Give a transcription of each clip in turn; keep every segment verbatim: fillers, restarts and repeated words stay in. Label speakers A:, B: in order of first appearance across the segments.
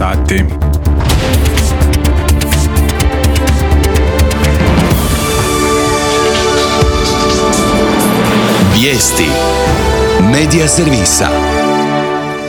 A: sati.
B: Vijesti Medija servisa.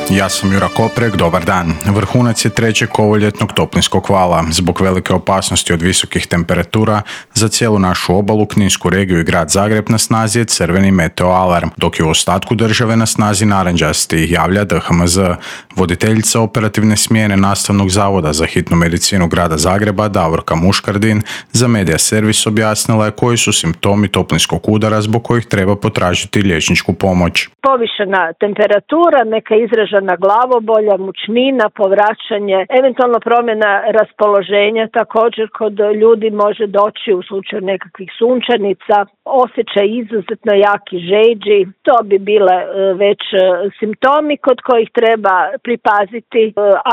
A: Ja sam Jura Koprek, dobar dan. Vrhunac je trećeg ovoljetnog toplinskog vala. Zbog velike opasnosti od visokih temperatura za cijelu našu obalu, Kninsku regiju i grad Zagreb na snazi je crveni meteo alarm, dok je u ostatku države na snazi narančasti, javlja D H M Z. Voditeljica operativne smjene Nastavnog zavoda za hitnu medicinu grada Zagreba, Davorka Muškardin, za Medija servis objasnila je koji su simptomi toplinskog udara zbog kojih treba potražiti liječničku pomoć.
C: Povišena temperatura, neka izražena glavobolja, mučnina, povraćanje, eventualno promjena raspoloženja također kod ljudi može doći u slučaju nekakvih sunčanica, osjećaj izuzetno jaki žeđi, to bi bile već simptomi kod kojih treba pripaziti.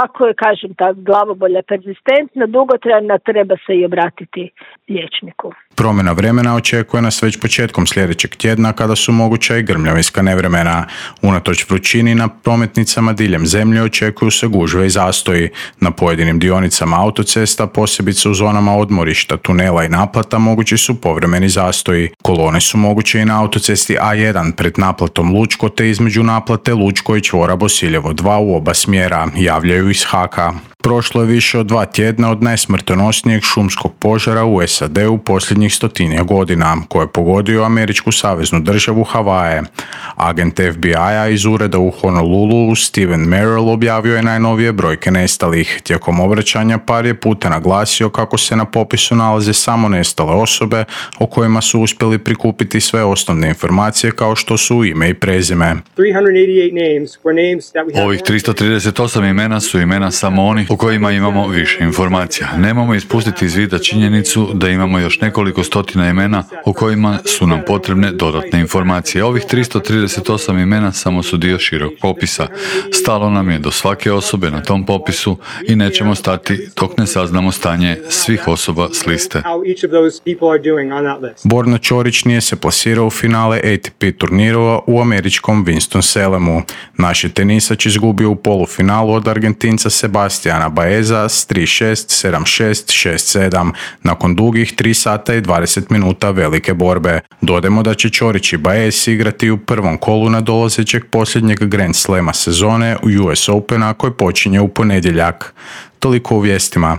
C: Ako je, kažem, ta glavobolja perzistentna, dugotrajna, treba se i obratiti liječniku.
A: Promjena vremena očekuje nas već početkom sljedećeg tjedna kada su moguća i grmljavinska nevremena. Unatoč vrućini na prometnicama diljem zemlje očekuju se gužve i zastoji. Na pojedinim dionicama autocesta, posebice u zonama odmorišta, tunela i naplata, mogući su povremeni zastoji. Kolone su moguće i na autocesti A jedan pred naplatom Lučko te između naplate Lučko i čvora Bosiljevo dva u oba smjera, javljaju iz Haka. Prošlo je više od dva tjedna od najsmrtonosnijeg šumskog požara u S A D-u posljednjih stotinja godina, koje je pogodio američku saveznu državu Havaje. Agent F B I-a iz ureda u Honolulu, Steven Merrill, objavio je najnovije brojke nestalih. Tijekom obraćanja par je puta naglasio kako se na popisu nalaze samo nestale osobe o kojima su uspjeli prikupiti sve osnovne informacije kao što su ime i prezime.
D: Ovih tristo trideset osam imena su imena samo onih o kojima imamo više informacija. Nemamo ispustiti iz vida činjenicu da imamo još nekoliko stotina imena o kojima su nam potrebne dodatne informacije. Ovih tristo trideset osam imena samo su dio širog popisa. Stalo nam je do svake osobe na tom popisu i nećemo stati dok ne saznamo stanje svih osoba s liste.
A: Borna Ćorić nije se plasirao u finale A T P turnirova u američkom Winston-Salemu. Naš je tenisač izgubio u polufinalu od Argentinca Sebastiana Baeza s tri šest, sedam šest, šest sedam nakon dugih tri sata i dvadeset minuta velike borbe. Dodajmo da će Ćorić i Baez igrati u prvom kolu nadolazećeg posljednjeg Grand Slema sezone u U S Opena koji počinje u ponedjeljak. Toliko u vijestima.